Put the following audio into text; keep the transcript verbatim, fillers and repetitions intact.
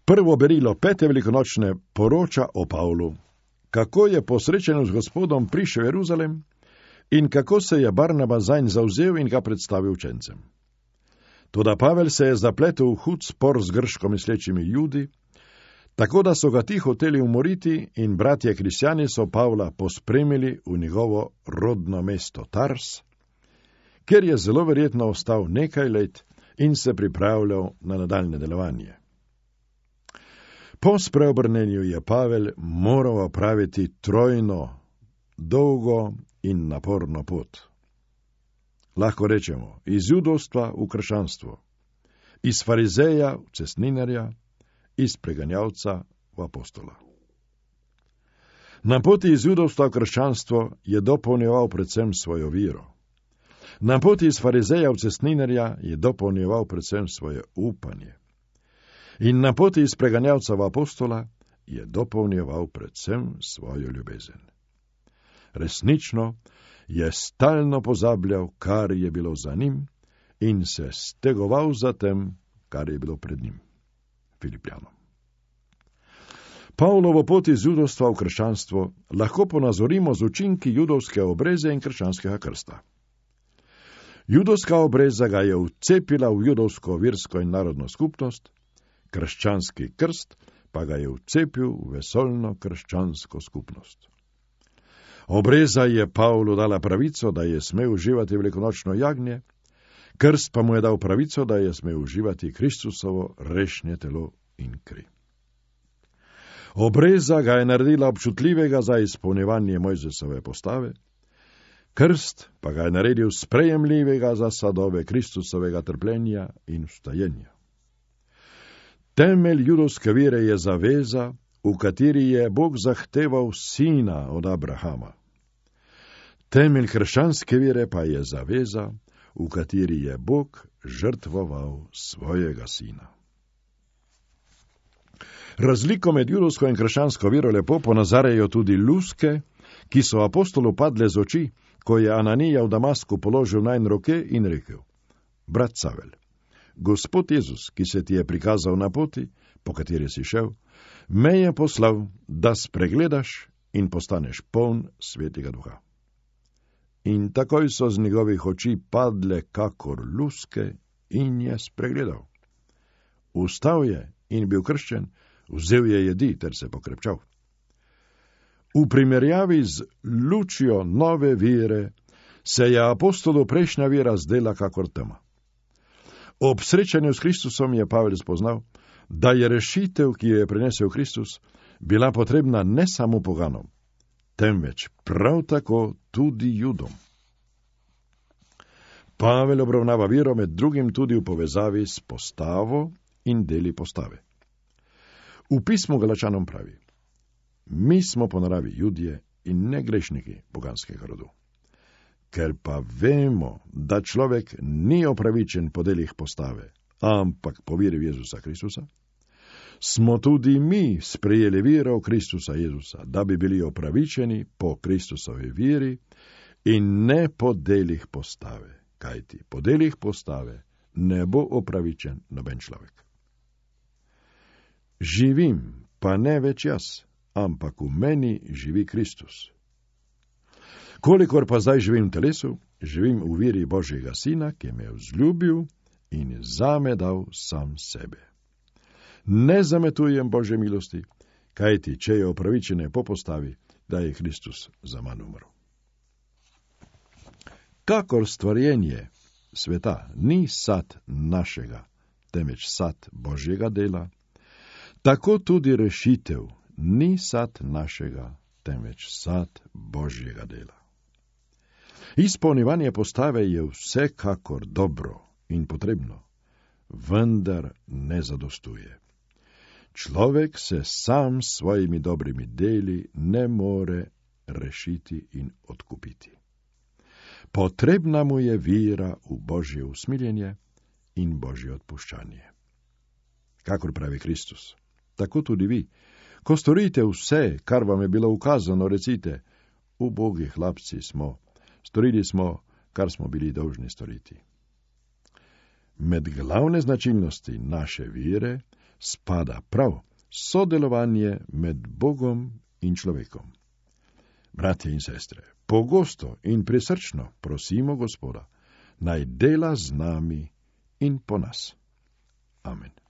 Prvo berilo pete velikonočne poroča o Pavlu, kako je po srečanju z Gospodom prišel v Jeruzalem in kako se je Barnaba zanj zavzel in ga predstavil učencem. Toda Pavel se je zapletel v hud spor z grško mislečimi Judi, tako da so ga ti hoteli umoriti in bratje kristjani so Pavla pospremili v njegovo rodno mesto Tars, kjer je zelo verjetno ostal nekaj let in se pripravljal na nadaljne delovanje. Po spreobrnenju je Pavel moral opraviti trojno, dolgo in naporno pot. Lahko rečemo, iz judovstva v krščanstvo, iz farizeja v cestninarja, iz preganjavca v apostola. Na poti iz judovstva v krščanstvo je dopolnjeval predvsem svojo vero. Na poti iz farizeja v cestninarja je dopolnjeval predvsem svoje upanje. In na poti iz preganjavca v apostola je dopolnjeval predvsem svojo ljubezen. Resnično je stalno pozabljal, kar je bilo za njim, in se stegoval za tem, kar je bilo pred njim. Filipljanom. Pavlovo pot iz judovstva v krščanstvo lahko ponazorimo z učinki judovske obreze in krščanskega krsta. Judovska obreza ga je vcepila v judovsko versko in narodno skupnost, krščanski krst pa ga je vcepil v vesoljno krščansko skupnost. Obreza je Pavlu dala pravico, da je smel uživati velikonočno jagnje, krst pa mu je dal pravico, da je smel uživati Kristusovo rešnje telo in kri. Obreza ga je naredila občutljivega za izpolnjevanje Mojzesove postave, krst pa ga je naredil sprejemljivega za sadove Kristusovega trpljenja in vstajenja. Temelj judovske vere je zaveza, v kateri je Bog zahteval sina od Abrahama. Temelj krščanske vere pa je zaveza, v kateri je Bog žrtvoval svojega sina. Razliko med judovsko in krščansko vero lepo ponazarjajo tudi luske, ki so apostolu padle z oči, ko je Ananija v Damasku položil najn roke in rekel: Brat Savel, Gospod Jezus, ki se ti je prikazal na poti, po kateri si šel, me je poslal, da spregledaš in postaneš poln svetega duha. In takoj so z njegovih oči padle kakor luske in je spregledal. Vstal je in bil krščen, vzel je jedi ter se pokrepčal. V primerjavi z lučjo nove vere se je apostolu prejšnja vera zdela kakor tema. Ob srečanju s Kristusom je Pavel spoznal, da je rešitev, ki jo je prinesel Kristus, bila potrebna ne samo poganom, temveč prav tako tudi Judom. Pavel obravnava vero med drugim tudi v povezavi s postavo in deli postave. V pismu Galačanom pravi: Mi smo po naravi Judje in ne grešniki poganskega rodu. Ker pa vemo, da človek ni opravičen po delih postave, ampak po veri v Jezusa Kristusa, smo tudi mi sprejeli vero v Kristusa Jezusa, da bi bili opravičeni po Kristusovi veri in ne po delih postave, kajti po delih postave ne bo opravičen noben človek. Živim, pa ne več jaz, ampak v meni živi Kristus. Kolikor pa zdaj živim v telesu, živim v veri Božjega Sina, ki me je vzljubil in zame dal sam sebe. Ne zametujem Božje milosti, kajti če je opravičene po postavi, da je Kristus za manj umrl. Kakor stvarjenje sveta ni sad našega, temveč sad Božjega dela, tako tudi rešitev ni sad našega, temveč sad Božjega dela. Izpolnjevanje postave je vsekakor dobro in potrebno, vendar ne zadostuje. Človek se sam s svojimi dobrimi deli ne more rešiti in odkupiti. Potrebna mu je vera v Božje usmiljenje in Božje odpuščanje. Kakor pravi Kristus, tako tudi vi, ko storite vse, kar vam je bilo ukazano, recite: ubogi hlapci smo, storili smo, kar smo bili dolžni storiti. Med glavne značilnosti naše vere spada prav sodelovanje med Bogom in človekom. Bratje in sestre, pogosto in prisrčno prosimo Gospoda, naj dela z nami in po nas. Amen.